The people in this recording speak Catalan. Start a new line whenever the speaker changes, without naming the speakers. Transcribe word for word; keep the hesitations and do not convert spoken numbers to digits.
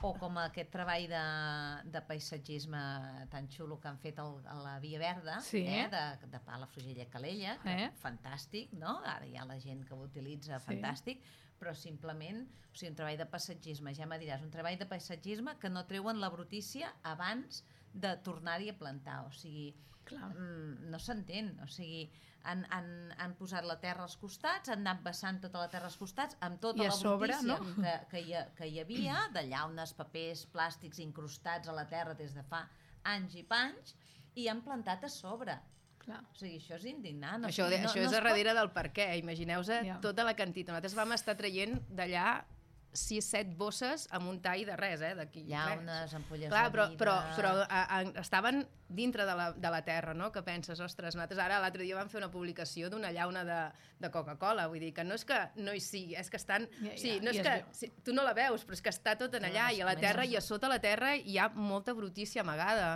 o com aquest treball de, de paisatgisme tan xulo que han fet el, a la Via Verda,
sí.
eh, de, de Palafrugell a Calella, que
eh?
fantàstic, no? Ara hi ha la gent que ho utilitza, sí. fantàstic, però simplement, o sigui, un treball de paisatgisme, ja me diràs, un treball de paisatgisme que no treuen la brutícia abans de tornar-hi a plantar, o sigui, mm, no s'entén, o sigui, han, han, han posat la terra als costats, han anat vessant tota la terra als costats, amb tota la
sobre,
brutícia
no?
que, que, hi, que hi havia, de llaunes, papers, plàstics incrustats a la terra des de fa anys i panys, i han plantat a sobre.
Clar.
O sigui, això és indignant. No,
això de,
no,
això
no
és
es
a darrere pot... del per què. Imagineu-vos
yeah.
tota la quantitat. Nosaltres vam estar traient d'allà sis set bosses amb un tall de res, eh?
Llaunes, ampolles
Clar,
de
però,
vidre...
però, però a, a, estaven dintre de la, de la terra, no? Que penses, ostres, nosaltres ara l'altre dia vam fer una publicació d'una llauna de, de Coca-Cola, vull dir que no és que no hi sigui, és que estan...
Ja, ja,
sí, no és
ja
que sí, tu no la veus, però és que està tot en allà, i a la terra i a sota la terra hi ha molta brutícia amagada.